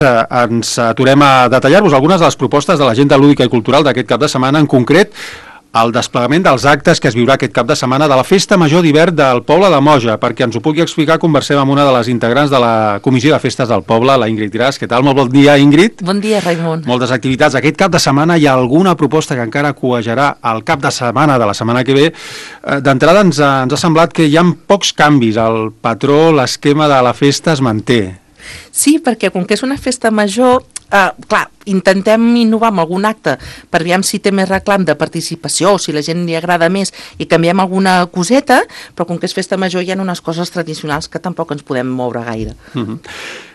Ens aturem a detallar-vos algunes de les propostes de l'agenda lúdica i cultural d'aquest cap de setmana, en concret el desplegament dels actes que es viurà aquest cap de setmana de la Festa Major d'Hivern del poble de Moja. Perquè ens ho pugui explicar, conversem amb una de les integrants de la Comissió de Festes del Poble, la Ingrid Gras. Què tal? Molt bon dia, Ingrid. Bon dia, Raimon. Moltes activitats. Aquest cap de setmana hi ha alguna proposta que encara cuejarà al cap de setmana de la setmana que ve. D'entrada ens ha semblat que hi ha pocs canvis. El patró, l'esquema de la festa es manté. Sí, perquè com que és una festa major, clar, intentem innovar amb algun acte per veure si té més reclam de participació o si la gent li agrada més i canviem alguna coseta, però com que és festa major hi ha unes coses tradicionals que tampoc ens podem moure gaire.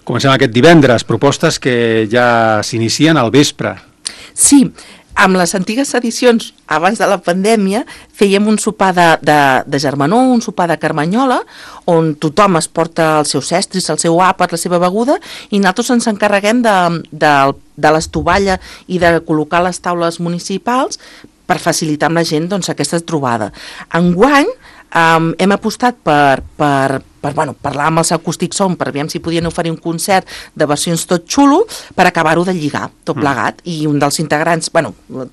Comencem aquest divendres, propostes que ja s'inicien al vespre. Sí, amb les antigues edicions, abans de la pandèmia, fèiem un sopar de germanor, un sopar de carmanyola, on tothom es porta els seus estris, el seu àpat, la seva beguda, i nosaltres ens encarreguem de l'estovalla i de col·locar les taules municipals per facilitar amb la gent aquesta trobada. Enguany hem apostat per parlar amb els Acústic Sound per veure si podien oferir un concert de versions tot xulo per acabar-ho de lligar, tot plegat. I un dels integrants,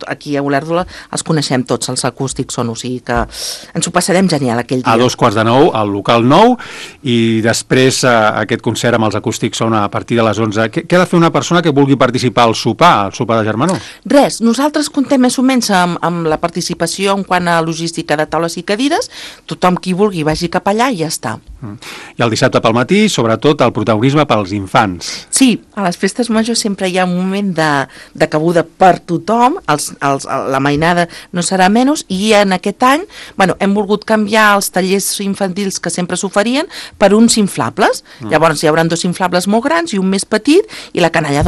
aquí a Olèrdola els coneixem tots, els Acústic Sound, o sigui que ens ho passarem genial aquell dia. A 8:45 al local 9 i després aquest concert amb els Acústic Sound a partir de les 11. Què ha de fer una persona que vulgui participar al sopar de germanor? Res, nosaltres contem més o menys amb la participació en quant a logística de taules i cadires, tothom qui vulgui vagi cap allà i ja està. I el dissabte pel matí, sobretot, el protagonisme pels infants. Sí, a les festes majors sempre hi ha un moment de cabuda per tothom, la mainada no serà menys, i en aquest any hem volgut canviar els tallers infantils que sempre s'oferien per uns inflables. Llavors hi haurà 2 inflables molt grans i un més petit, i la canalla,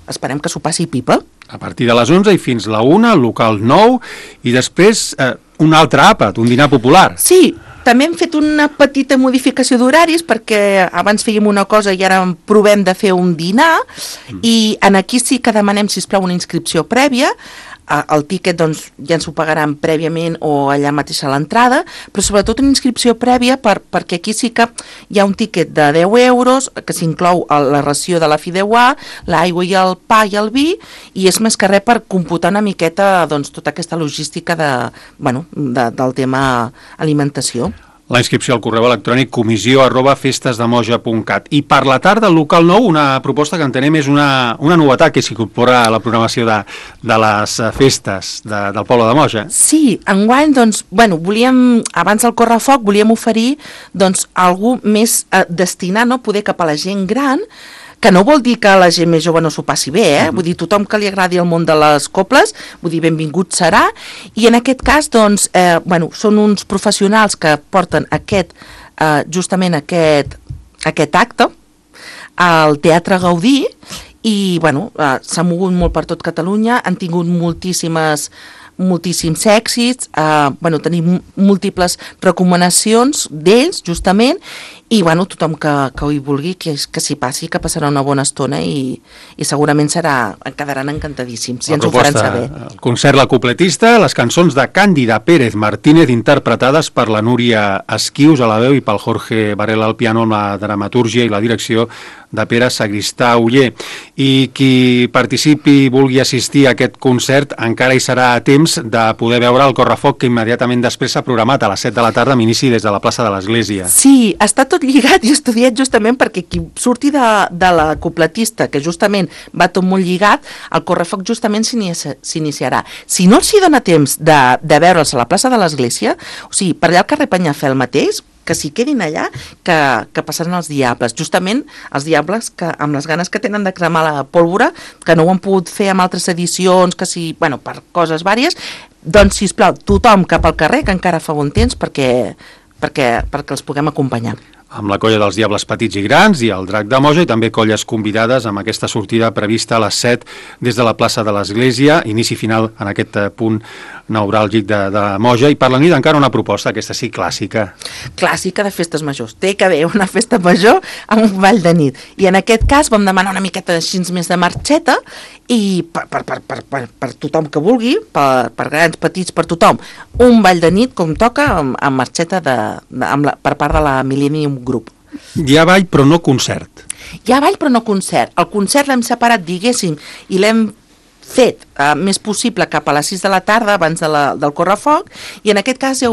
esperem que s'ho passi pipa. A partir de les 11 i fins la 1, al local 9, i després un altre àpat, un dinar popular. Sí, també hem fet una petita modificació d'horaris perquè abans fèiem una cosa i ara provem de fer un dinar i aquí sí que demanem, sisplau, una inscripció prèvia. El tíquet ja ens ho pagaran prèviament o allà mateix a l'entrada, però sobretot una inscripció prèvia perquè aquí sí que hi ha un tíquet de 10 euros que s'inclou la ració de la fideuà, l'aigua i el pa i el vi, i és més que res per computar una miqueta tota aquesta logística del tema alimentació. La inscripció al correu electrònic comissió@festesdemoja.cat. I per la tarda, al local 9, una proposta que entenem és una novetat que s'incorpora a la programació de les festes del poble de Moja. Sí, enguany, volíem, abans del correfoc, volíem oferir algú més destinat, poder cap a la gent gran, que no vol dir que la gent més jove no s'ho passi bé, vull dir, tothom que li agradi el món de les coples, vull dir, benvingut serà, i en aquest cas, són uns professionals que porten justament aquest acte al Teatre Gaudí, i, s'ha mogut molt per tot Catalunya, han tingut moltíssims èxits, tenim múltiples recomanacions d'ells, justament, i tothom que ho hi vulgui, que s'hi passi, que passarà una bona estona i segurament quedaran encantadíssims i ens ho faran saber. El concert La Cupletista, les cançons de Càndida Pérez Martínez interpretades per la Núria Esquius a la veu i pel Jorge Varela al piano, amb la dramatúrgia i la direcció de Pere Sagristà Oller. I qui participi i vulgui assistir a aquest concert encara hi serà a temps de poder veure el correfoc que immediatament després s'ha programat a les 7 de la tarda amb inici des de la plaça de l'Església. Sí, està tot lligat i estudiat justament perquè qui surti de la cupletista, que justament va tot molt lligat, el correfoc justament s'iniciarà. Si no els hi dona temps de veure'ls a la plaça de l'Església, o sigui, per allà al carrer Penyafel mateix, que s'hi quedin allà, que passaran els diables. Justament els diables que amb les ganes que tenen de cremar la pólvora, que no ho han pogut fer amb altres edicions, que sí, per coses vàries, sisplau, tothom cap al carrer, que encara fa bon temps perquè els puguem acompanyar. Amb la colla dels Diables Petits i Grans i el Drac de Moja, i també colles convidades amb aquesta sortida prevista a les 7 des de la plaça de l'Església, inici final en aquest punt neuràlgic de Moja. I per la nit encara una proposta, aquesta sí, clàssica. Clàssica de festes majors. Té que haver una festa major amb un ball de nit. I en aquest cas vam demanar una miqueta així més de marxeta i per tothom que vulgui, per grans, petits, per tothom, un ball de nit com toca amb marxeta per part de la Millennium Group. Hi ha ball però no concert. Hi ha ball però no concert. El concert l'hem separat, diguéssim, i l'hem fet més possible cap a les 6 de la tarda abans del correfoc, i en aquest cas ja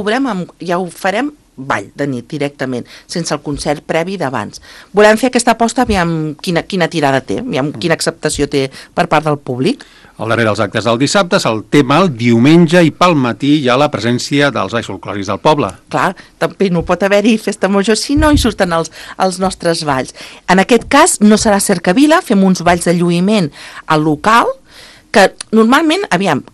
ho farem ball de nit directament, sense el concert previ d'abans. Volem fer aquesta aposta, aviam quina tirada té, aviam quina acceptació té per part del públic. Al darrer dels actes del dissabte el tema el diumenge, i pel matí hi ha la presència dels balls folclòrics del poble. Clar, també no pot haver-hi festa major si no hi surten els nostres balls. En aquest cas no serà cercavila, fem uns balls de lluïment al local, que normalment,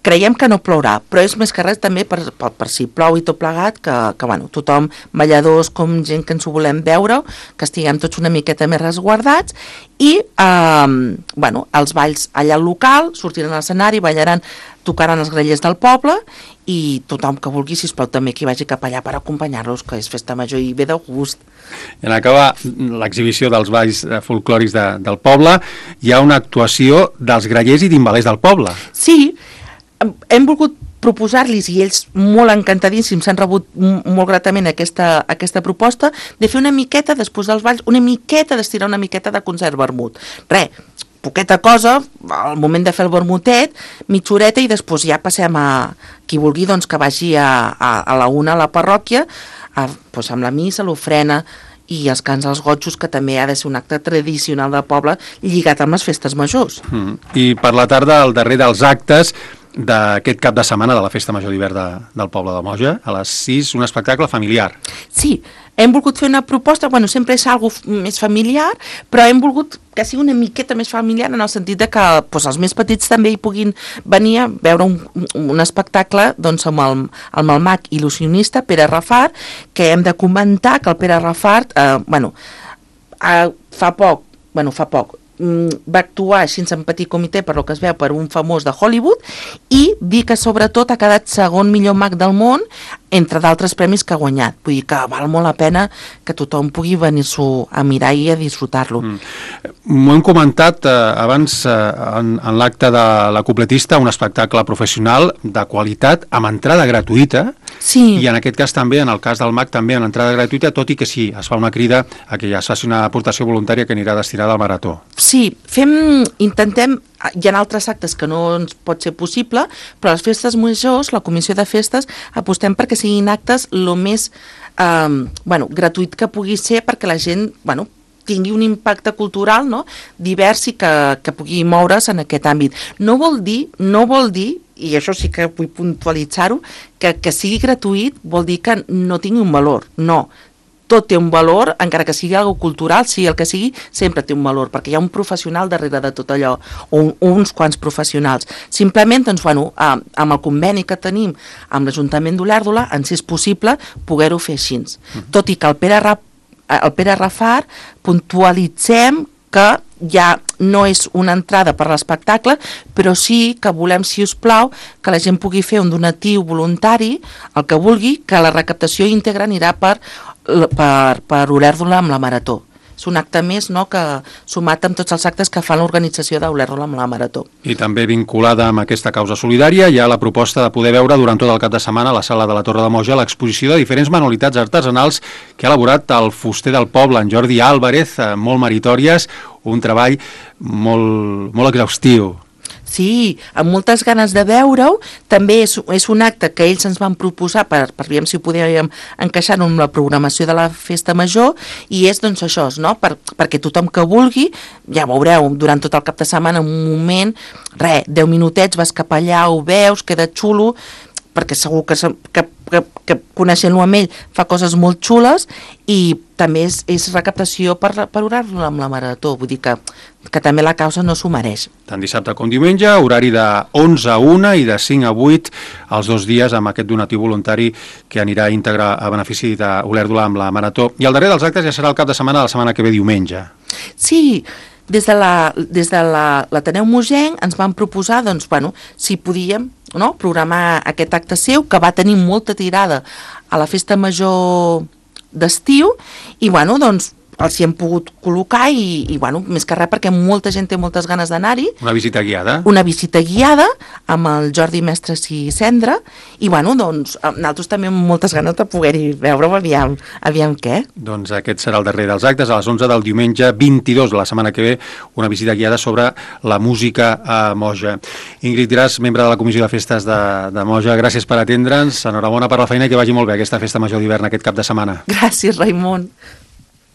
creiem que no plourà, però és més que res també per si plou i tot plegat, que bueno, tothom, balladors com gent que ens ho volem veure, que estiguem tots una miqueta més resguardats, i els balls allà al local, sortiran a l'escenari, ballaran, tocaran els grellers del poble, i tothom que vulgui, sisplau, també que vagi cap allà per acompanyar-los, que és festa major i ve de gust. I en acabar l'exhibició dels balls folclòrics del poble, hi ha una actuació dels grellers i timbalers del poble. Sí, hem volgut proposar-los, i ells molt encantadíssims s'han rebut molt gratament aquesta proposta, de fer una miqueta, després dels balls, d'estirar una miqueta de concert vermut. Poqueta cosa, al moment de fer el vermutet, mitja horeta, i després ja passem a qui vulgui que vagi a la una a la parròquia, amb la missa, l'ofrena i els cants als gotxos, que també ha de ser un acte tradicional del poble lligat amb les festes majors. I per la tarda, al darrer dels actes d'aquest cap de setmana de la Festa Major d'hivern del poble de Moja, a les 6, un espectacle familiar. Sí, hem volgut fer una proposta, sempre és algo més familiar, però hem volgut que sigui una miqueta més familiar, en el sentit de que els més petits també hi puguin venir a veure un espectacle amb el mag il·lusionista Pere Rafart, que hem de comentar que el Pere Rafart fa poc va actuar així en petit comitè, per lo que es veu, per un famós de Hollywood, i dir que sobretot ha quedat segon millor mag del món, entre d'altres premis que ha guanyat. Vull dir que val molt la pena que tothom pugui venir-s'ho a mirar i a disfrutar-lo. M'ho hem comentat abans en l'acte de la cupletista, un espectacle professional de qualitat amb entrada gratuïta. Sí. I en aquest cas també, en el cas del MAC, també en entrada gratuïta, tot i que sí, es fa una crida a que ja es faci una aportació voluntària que anirà destinada al marató. Sí, intentem, hi ha altres actes que no ens pot ser possible, però les festes majors, la comissió de festes, apostem perquè siguin actes el més gratuït que pugui ser, perquè la gent tingui un impacte cultural divers i que pugui moure's en aquest àmbit. No vol dir, i això sí que vull puntualitzar-ho, que sigui gratuït vol dir que no tingui un valor. No, tot té un valor, encara que sigui algo cultural, sigui el que sigui, sempre té un valor, perquè hi ha un professional darrere de tot allò, o uns quants professionals. Simplement, amb el conveni que tenim amb l'Ajuntament d'Olèrdola, ens és possible poder-ho fer així. Tot i que el Pere Rafart puntualitzem que ja no és una entrada per l'espectacle, però sí que volem, si us plau, que la gent pugui fer un donatiu voluntari, el que vulgui, que la recaptació íntegra anirà per Olèrdola amb la Marató. És un acte més que sumat amb tots els actes que fa l'organització d'Olèrdola amb la Marató. I també vinculada amb aquesta causa solidària hi ha la proposta de poder veure durant tot el cap de setmana a la sala de la Torre de Moja l'exposició de diferents manualitats artesanals que ha elaborat el fuster del poble, en Jordi Álvarez, molt meritòries, un treball molt exhaustiu. Sí, amb moltes ganes de veure-ho. També és un acte que ells ens van proposar per veure si ho podíem encaixar en la programació de la festa major, i és això, perquè tothom que vulgui, ja veureu, durant tot el cap de setmana, en un moment, 10 minutets, vas cap allà, ho veus, queda xulo, perquè segur que coneixent-lo amb ell fa coses molt xules, i també és recaptació per orar-lo amb la Marató, vull dir que també la causa no s'ho mereix. Tant dissabte com diumenge, horari de 11 a 1 i de 5 a 8 els 2 dies amb aquest donatiu voluntari que anirà íntegre a benefici d'Olèrdola amb la Marató. I el darrer dels actes ja serà el cap de setmana de la setmana que ve, diumenge. Sí, des de l'Ateneu Mogenc ens van proposar, si podíem programar aquest acte seu, que va tenir molta tirada a la festa major d'estiu, i els hi hem pogut col·locar i bueno, més que res perquè molta gent té moltes ganes d'anar-hi. Una visita guiada. Una visita guiada amb el Jordi Mestres i Cendra i bueno, doncs nosaltres també amb moltes ganes de poder-hi veure-ho, aviam què. Doncs aquest serà el darrer dels actes, a les 11 del diumenge 22 de la setmana que ve, una visita guiada sobre la música a Moja. Ingrid Gras, membre de la Comissió de Festes de Moja, gràcies per atendre'ns, enhorabona per la feina i que vagi molt bé aquesta festa major d'hivern aquest cap de setmana. Gràcies, Raimon.